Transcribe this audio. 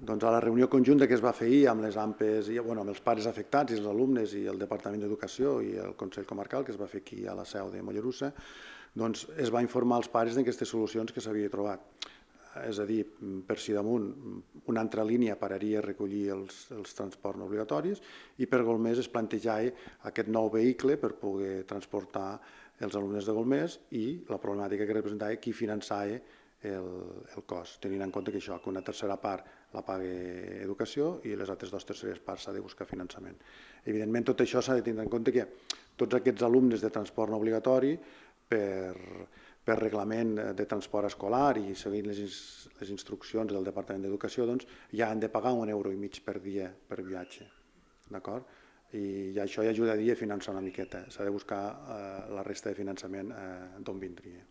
Doncs a la reunió conjunta que es va fer ahir amb les AMPEs, amb els pares afectats i els alumnes i el Departament d'Educació i el Consell Comarcal, que es va fer aquí a la seu de Mollerussa, doncs es va informar als pares d'aquestes solucions que s'havia trobat. És a dir, per si damunt una altra línia pararia a recollir els transports no obligatoris i per Golmés es plantejava aquest nou vehicle per poder transportar els alumnes de Golmés i la problemàtica que representava qui finançava el cost, tenint en compte que això, que una tercera part la paga Educació i les altres 2/3 parts s'ha de buscar finançament. Evidentment, tot això s'ha de tenir en compte que tots aquests alumnes de transport no obligatori, per reglament de transport escolar i seguint les instruccions del Departament d'Educació, doncs ja han de pagar €1,5 per dia per viatge. D'acord? I això ja ajudaria a finançar una miqueta. S'ha de buscar la resta de finançament d'on vindria.